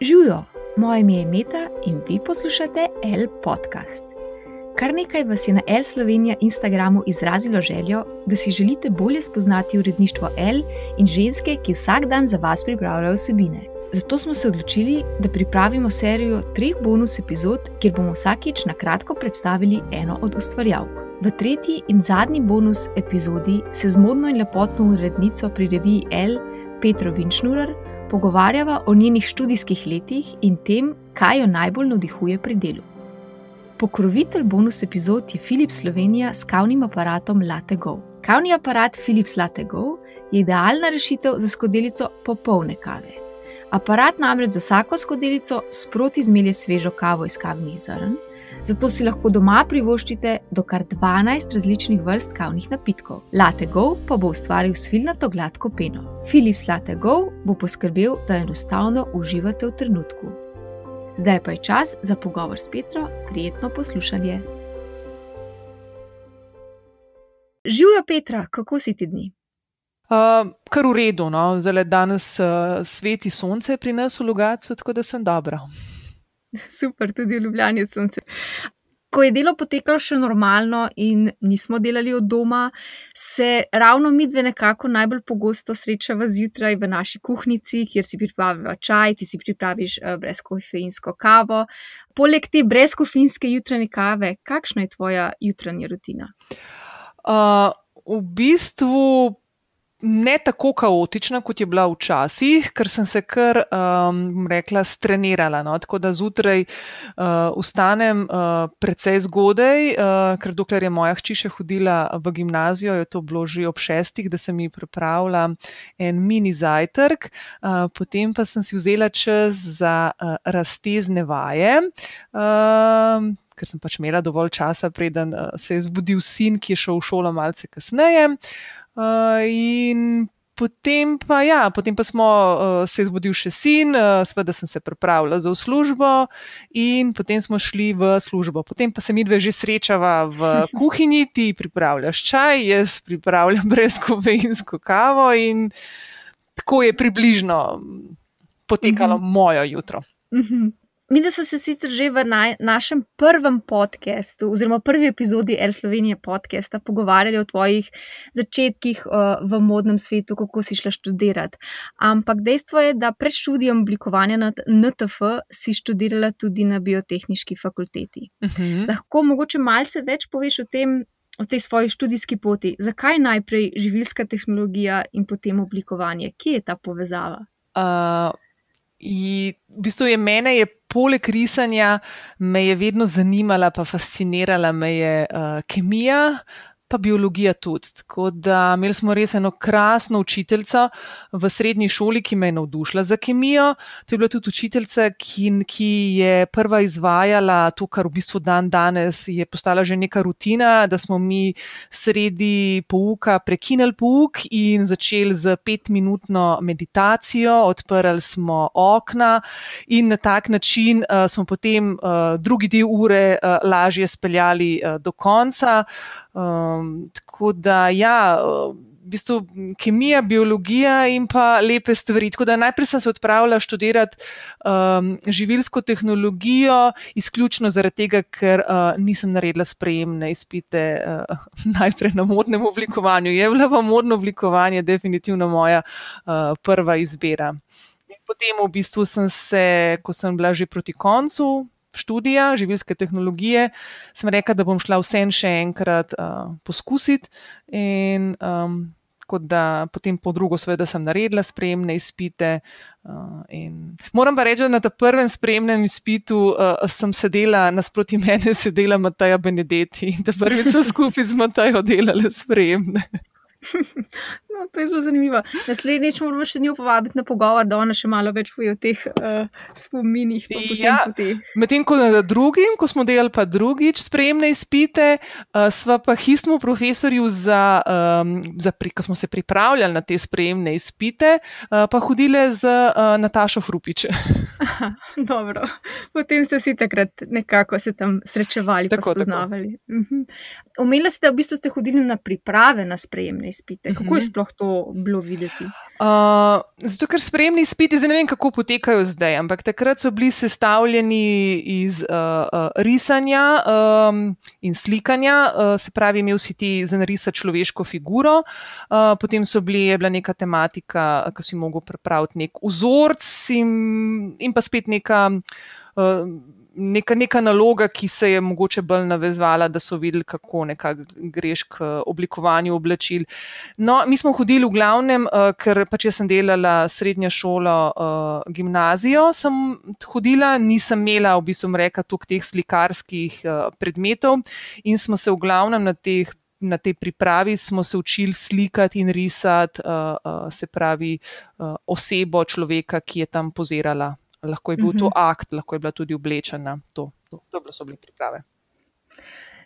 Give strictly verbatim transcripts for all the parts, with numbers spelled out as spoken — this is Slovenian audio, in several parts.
Živijo, moje ime je Meta in vi poslušate Elle podcast. Kar nekaj vas je na Elle Slovenija Instagramu izrazilo željo, da si želite bolje spoznati uredništvo Elle in ženske, ki vsak dan za vas pripravljajo vsebine. Zato smo se odločili, da pripravimo serijo treh bonus epizod, kjer bomo vsakič na kratko predstavili eno od ustvarjalk. V tretji in zadnji bonus epizodi se z modno in lepotno urednico pri reviji Elle, Petro Vinčnurer, pogovarjava o njenih študijskih letih in tem, kaj jo najbolj navdihuje pri delu. Pokrovitelj bonus epizod je Philips Slovenija s kavnim aparatom Latte Go. Kavni aparat Philips Latte Go je idealna rešitev za skodelico popolne kave. Aparat namreč za vsako skodelico sproti zmelje svežo kavo iz kavnih zrn, zato si lahko doma privoščite do kar dvanajst različnih vrst kavnih napitkov. Latte Go pa bo ustvaril svilnato gladko peno. Philips Latte Go bo poskrbel, da enostavno uživate v trenutku. Zdaj pa je čas za pogovor s Petro, prijetno poslušanje. Živjo Petra, kako si ti dni? Uh, kar v redu, no. Zdaj danes uh, sveti sonce pri nas v Logatcu, tako da sem dobra. Super, tudi v Ljubljani je sonce. Ko je delo potekalo še normalno in nismo delali od doma, se ravno midve nekako najbolj pogosto srečava zjutraj v naši kuhnici, kjer si pripraviva čaj, ti si pripraviš brezkofeinsko kavo. Poleg te brezkofeinske jutranje kave, kakšna je tvoja jutranja rutina? Uh, v bistvu ne tako kaotična, kot je bila včasih, ker sem se kar, um, rekla, strenirala. No? Tako da zjutraj uh, vstanem uh, precej zgodaj, uh, ker dokler je moja hči še hodila v gimnazijo, je to bilo že ob šestih, da sem ji pripravila en mini zajtrk. Uh, potem pa sem si vzela čas za uh, raztezne vaje, uh, ker sem pač imela dovolj časa, preden uh, se je zbudil sin, ki je šel v šolo malce kasneje. Uh, in potem pa, ja, potem pa smo uh, se je zbudil še sin, uh, seveda sem se pripravila za v službo in potem smo šli v službo. Potem pa se midve že srečava v kuhinji, ti pripravljaš čaj, jaz pripravljam brezkofeinsko kavo in tako je približno potekalo uh-huh. moje jutro. Uh-huh. Mi, da smo se sicer že v naj, našem prvem podcastu oziroma prvi epizodi Elle Slovenije podcasta pogovarjali o tvojih začetkih uh, v modnem svetu, kako si šla študirati. Ampak dejstvo je, da pred študijem oblikovanja na N T F si študirala tudi na biotehniški fakulteti. Uh-huh. Lahko mogoče malce več poveš o tem, o tej svoji študijski poti. Zakaj najprej živilska tehnologija in potem oblikovanje? Kje je ta povezava? Uh... In v bistvu je mene je poleg risanja me je vedno zanimala pa fascinirala me je uh, kemija pa biologija tudi. Tako da imeli smo res eno krasno učiteljico v srednji šoli, ki me je navdušila za kemijo. To je bila tudi učiteljica, ki, ki je prva izvajala to, kar v bistvu dan danes je postala že neka rutina, da smo mi sredi pouka prekinili pouk in začeli z petminutno meditacijo, odprli smo okna in na tak način uh, smo potem uh, drugi del ure uh, lažje speljali uh, do konca. Um, tako da ja, v bistvu kemija, biologija in pa lepe stvari. Tako da najprej sem se odpravila študirati um, živilsko tehnologijo, izključno zaradi tega, ker uh, nisem naredila sprejemne izpite uh, najprej na modnem oblikovanju. Je bila pa modno oblikovanje definitivno moja uh, prva izbira. In potem v bistvu sem se, ko sem bila že proti koncu študija živilske tehnologije, sem rekla, da bom šla vsem še enkrat uh, poskusiti in um, kot da potem po drugo seveda sem naredila sprejemne izpite uh, in moram pa reči, da na ta prvem sprejemnem izpitu uh, sem sedela, nasproti mene sedela Mateja Benedetti in da prvič so skupaj z Matejo delale sprejemne. No, to je zelo zanimivo. Naslednjič moramo še njo povabiti na pogovor, da ona še malo več poje o teh uh, spominih. Ja, medtem ko na drugim, ko smo delali pa drugič sprejemne izpite, uh, sva pa histmu profesorju, za, um, za pri, ko smo se pripravljali na te sprejemne izpite, uh, pa hodile z uh, Natašo Frupič. Aha, dobro. Potem ste vsi takrat nekako se tam srečevali, pa Tako, tako. spoznavali. Mhm. Omenila ste, da v bistvu ste hodili na priprave na sprejemne izpite. Kako je Mhm. sploh to bilo videti? Uh, zato, ker sprejemni izpiti, zdaj ne vem, kako potekajo zdaj, ampak takrat so bili sestavljeni iz uh, uh, risanja um, in slikanja, uh, se pravi, imel si ti za narisati človeško figuro, uh, potem so bili, je bila neka tematika, ko si mogel pripraviti nek vzorc in, in pa spet neka. Uh, Neka, neka naloga, ki se je mogoče bolj navezvala, da so videli, kako nekako greš k oblikovanju oblačil. No, mi smo hodili v glavnem, uh, ker pač jaz sem delala srednjo šolo, uh, gimnazijo sem hodila, nisem imela v bistvu reka toliko teh slikarskih uh, predmetov in smo se v glavnem na teh Na tej pripravi smo se učili slikati in risati, uh, uh, se pravi, uh, osebo človeka, ki je tam pozirala. Lahko je bil to akt, lahko je bila tudi oblečena. To, to, to so bile priprave.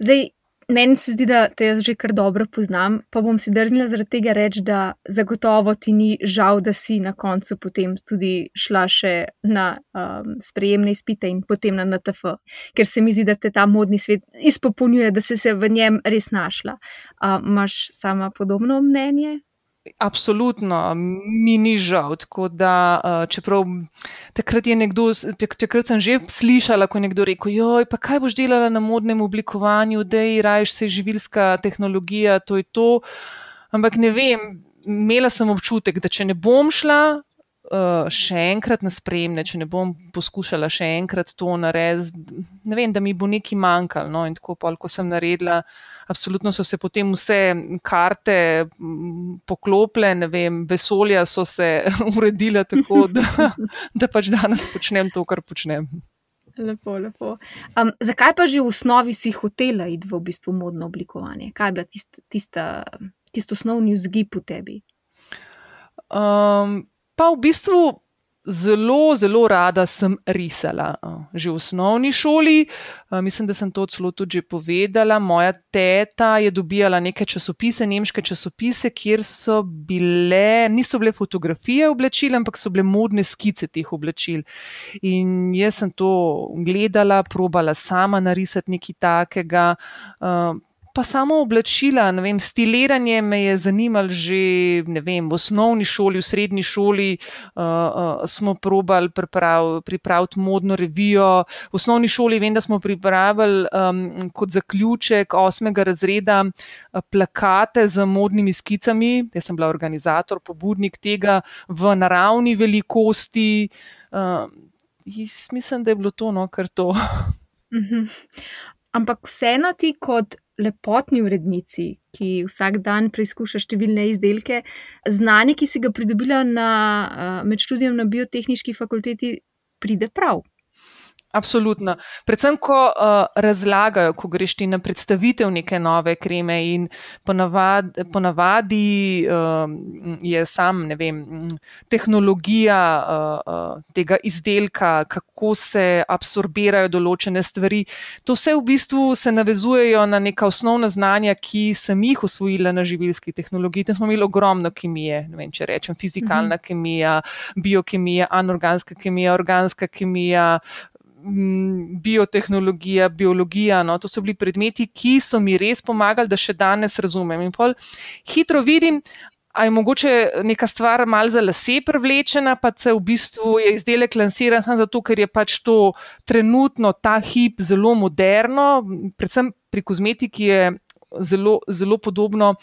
Zdaj, meni se zdi, da te jaz že kar dobro poznam, pa bom si drznila zaradi tega reči, da zagotovo ti ni žal, da si na koncu potem tudi šla še na um, sprejemne izpite in potem na N T F, ker se mi zdi, da te ta modni svet izpopolnjuje, da si se v njem res našla. Uh, imaš sama podobno mnenje? Absolutno, mi ni žal, tako da, čeprav takrat je nekdo, takrat sem že slišala, ko je nekdo rekel, joj, pa kaj boš delala na modnem oblikovanju, dej, rajš se živilska tehnologija, to je to, ampak ne vem, imela sem občutek, da če ne bom šla uh, še enkrat na sprejemne, če ne bom poskušala še enkrat to narediti, ne vem, da mi bo nekaj manjkalo, no, in tako pol, ko sem naredila, absolutno so se potem vse karte poklopile, ne vem, vesolja so se uredila tako, da, da pač danes počnem to, kar počnem. Lepo, lepo. Um, zakaj pa že v osnovi si hotela iti v bistvu modno oblikovanje? Kaj je bila tista, tista, tisto osnovni vzgib v tebi? Um, pa v bistvu zelo, zelo rada sem risala. Že v osnovni šoli, mislim, da sem to celo tudi že povedala, moja teta je dobijala neke časopise, nemške časopise, kjer so bile, niso bile fotografije oblačil, ampak so bile modne skice teh oblačil. In jaz sem to gledala, probala sama narisati nekaj takega, pa samo oblačila, ne vem, stiliranje me je zanimalo že, ne vem, v osnovni šoli, v srednji šoli uh, uh, smo probali priprav, pripraviti modno revijo. V osnovni šoli vem, da smo pripravili um, kot zaključek osmega razreda uh, plakate z modnimi skicami. Jaz sem bila organizator, pobudnik tega v naravni velikosti. Uh, mislim, da je bilo to, no, kar to. Mhm. Ampak vseeno ti kot lepotni urednici, ki vsak dan preizkuša številne izdelke, znanje, ki si ga pridobila na, med študijem na biotehniški fakulteti, pride prav. Absolutno. Predvsem, ko uh, razlagajo, ko greš ti na predstavitev neke nove kreme in ponavadi, ponavadi uh, je sam, ne vem, tehnologija uh, uh, tega izdelka, kako se absorbirajo določene stvari. To vse v bistvu se navezujejo na neka osnovna znanja, ki sem jih osvojila na živilski tehnologiji. Tam smo imeli ogromno kemije, ne vem, če rečem, fizikalna mhm. kemija, biokemija, anorganska kemija, organska kemija, biotehnologija, biologija, no, to so bili predmeti, ki so mi res pomagali, da še danes razumem. In pol hitro vidim, a je mogoče neka stvar malo za lase privlečena, pa se v bistvu je izdelek lansiran samo zato, ker je pač to trenutno ta hip zelo moderno, predvsem pri kozmetiki je zelo, zelo podobno.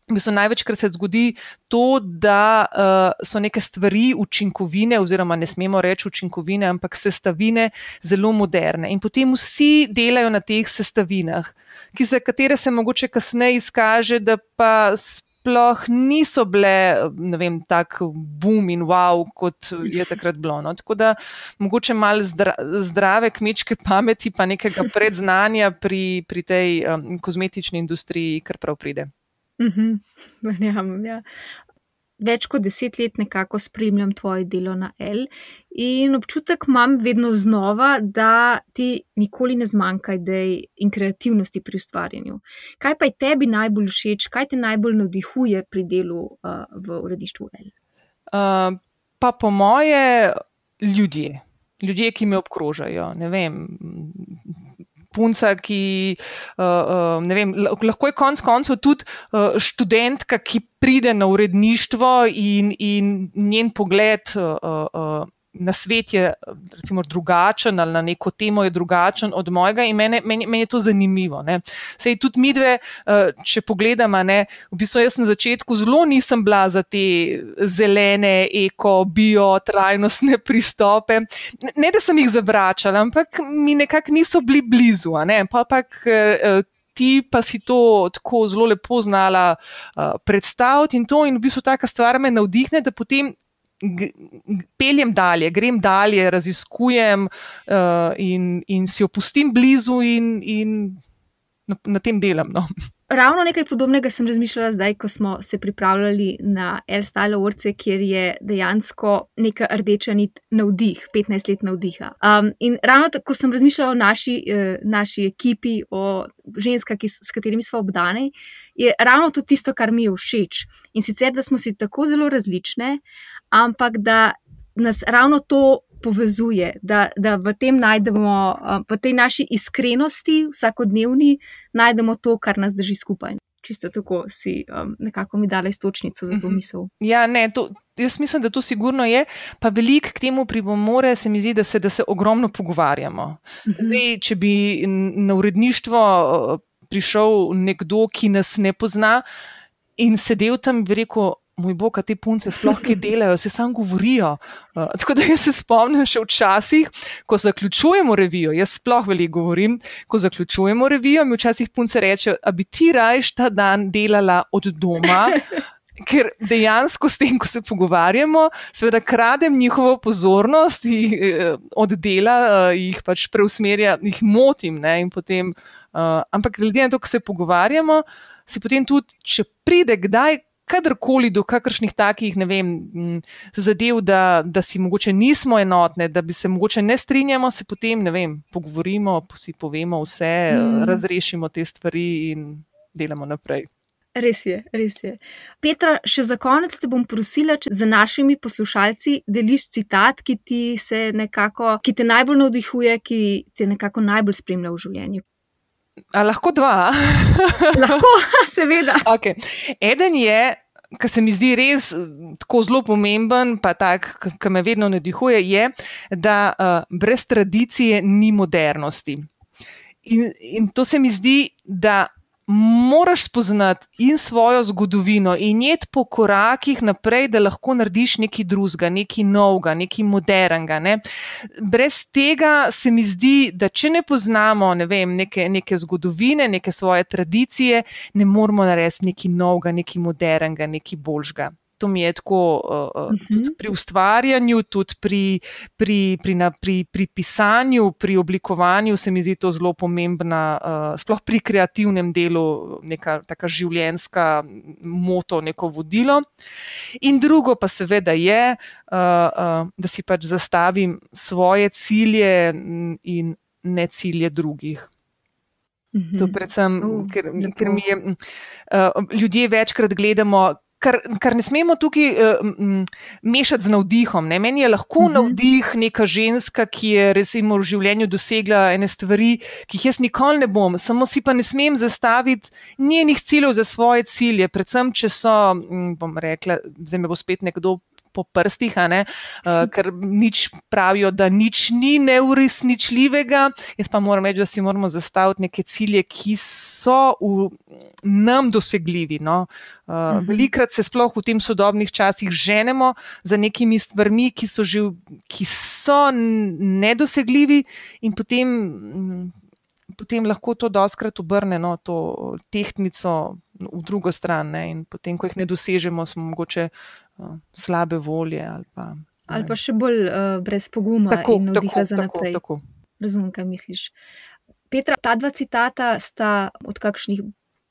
V bistvu največkrat se zgodi to, da uh, so neke stvari, učinkovine, oziroma ne smemo reči učinkovine, ampak sestavine zelo moderne. In potem vsi delajo na teh sestavinah, ki za katere se mogoče kasneje izkaže, da pa sploh niso bile, ne vem, tak boom in wow, kot je takrat bilo. No? Tako da mogoče malo zdra, zdrave kmečke pameti, pa nekega predznanja pri, pri tej um, kozmetični industriji, kar prav pride. Mhm, ja. Več kot deset let nekako spremljam tvoje delo na Elle in občutek imam vedno znova, da ti nikoli ne zmanjka idej in kreativnosti pri ustvarjanju. Kaj pa je tebi najbolj všeč, kaj te najbolj navdihuje pri delu uh, v uredništvu Elle? Uh, pa po moje ljudje. ljudje, ki me obkrožajo, ne vem, punca, ki, uh, uh, ne vem, lahko je konec koncev tudi uh, študentka, ki pride na uredništvo in, in njen pogled uh, uh, na svet je recimo drugačen ali na neko temo je drugačen od mojega in meni, meni, meni je to zanimivo. Ne. Sej tudi midve, če pogledamo, ne, v bistvu jaz na začetku zelo nisem bila za te zelene, eko, bio, trajnostne pristope. Ne, da sem jih zavračala, ampak mi nekako niso bili blizu. Ne. Pa pa ti pa si to tako zelo lepo znala uh, predstaviti in to in v bistvu taka stvar me navdihne, da potem peljem dalje, grem dalje, raziskujem uh, in, in si jo pustim blizu in, in na, na tem delam. No. Ravno nekaj podobnega sem razmišljala zdaj, ko smo se pripravljali na Elle Style Awards, kjer je dejansko neka rdeča nit navdih, petnajst let navdiha. Um, in ravno tako sem razmišljala o naši, eh, naši ekipi, o ženskah, ki, s katerimi smo obdane, je ravno to tisto, kar mi je všeč. In sicer, da smo si tako zelo različne, ampak da nas ravno to povezuje, da, da v tem najdemo, v tej naši iskrenosti vsakodnevni najdemo to, kar nas drži skupaj. Čisto tako si um, nekako mi dala istočnico za to misel. Ja, ne, to, jaz mislim, da to sigurno je, pa veliko k temu pripomore se mi zdi, da se, da se ogromno pogovarjamo. Zdaj, če bi na uredništvo prišel nekdo, ki nas ne pozna in sedel tam in bi rekel, moj bog, a te punce sploh kaj delajo, se samo govorijo. Uh, tako da jaz se spomnim še včasih, ko zaključujemo revijo, jaz sploh veliko govorim, ko zaključujemo revijo, mi včasih punce rečejo, a bi ti rajš ta dan delala od doma, ker dejansko s tem, ko se pogovarjamo, seveda kradem njihovo pozornost jih, od dela, uh, jih pač preusmerja, jih motim, ne, in potem, uh, ampak glede na to, ko se pogovarjamo, se potem tudi, če pride kdaj, kadarkoli do kakršnih takih, ne vem, zadev, da, da si mogoče nismo enotne, da bi se mogoče ne strinjamo, se potem, ne vem, pogovorimo, si povemo vse, mm. razrešimo te stvari in delamo naprej. Res je, res je. Petra, še za konec te bom prosila, če za našimi poslušalci deliš citat, ki ti se nekako, ki te najbolj navdihuje, ki te nekako najbolj spremlja v življenju. A lahko dva? Lahko, seveda. Okay. Eden je, ki se mi zdi res tako zelo pomemben, pa tak, ki me vedno navdihuje, je, da uh, brez tradicije ni modernosti. In, in to se mi zdi, da moraš spoznati in svojo zgodovino in iti po korakih naprej, da lahko narediš nekaj drugega, nekaj novega, nekaj modernega. Ne? Brez tega se mi zdi, da če ne poznamo, ne vem, neke, neke zgodovine, neke svoje tradicije, ne moramo narediti nekaj novega, nekaj modernega, nekaj boljšega. To mi je tako uh, uh, tudi pri ustvarjanju, tudi pri, pri, pri, na, pri, pri pisanju, pri oblikovanju se mi zdi to zelo pomembna, uh, sploh pri kreativnem delu, neka taka življenjska moto, neko vodilo. In drugo pa seveda je, uh, uh, da si pač zastavim svoje cilje in ne cilje drugih. Mm-hmm. To predvsem, uh, ker, ker mi je, uh, ljudje večkrat gledamo, Kar, kar ne smemo tukaj uh, mešati z navdihom. Ne? Meni je lahko uh-huh. navdih neka ženska, ki je recimo v življenju dosegla ene stvari, ki jih jaz nikoli ne bom, samo si pa ne smem zastaviti njenih ciljev za svoje cilje, predvsem, če so, bom rekla, zdaj me bo spet nekdo po prstih, a ne, uh, ker nič pravijo, da nič ni neuresničljivega. Jaz pa moram reči, da si moramo zastaviti neke cilje, ki so v nam dosegljivi. No? Uh, uh-huh. Velikrat se sploh v tem sodobnih časih ženemo za nekimi stvarmi, ki so, že, ki so nedosegljivi in potem, potem lahko to dostkrat obrne, no, to tehtnico v drugo stran, ne? In potem, ko jih ne dosežemo, smo mogoče uh, slabe volje ali pa, ali pa še bolj uh, brez poguma tako, in navdiha za naprej. Tako, tako. Razumem, kaj misliš. Petra, ta dva citata sta od kakšnih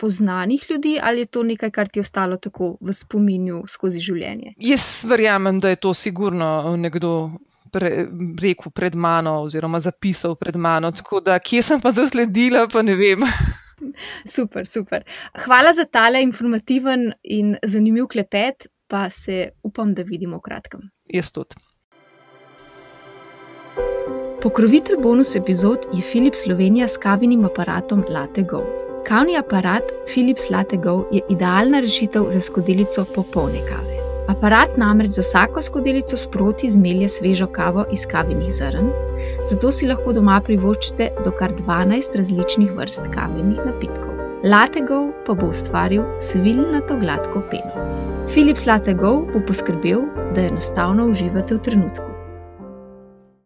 poznanih ljudi ali je to nekaj, kar ti je ostalo tako v spominju skozi življenje? Jaz verjamem, da je to sigurno nekdo pre, rekel pred mano oziroma zapisal pred mano, tako da kje sem pa zasledila, pa ne vem. Super, super. Hvala za tale informativen in zanimiv klepet, pa se upam, da vidimo v kratkem. Jaz tudi. Pokrovitelj bonus epizod je Philips Slovenija s kavinim aparatom Latte Go. Kavni aparat Philips Latte Go je idealna rešitev za skodelico popolne kave. Aparat namreč za vsako skodelico sproti zmelje svežo kavo iz kavinih zrn, zato si lahko doma privoščite do kar dvanajst različnih vrst kavinih napitkov. Latte Go pa bo ustvaril svilnato gladko peno. Philips Latte Go bo poskrbel, da enostavno uživate v trenutku.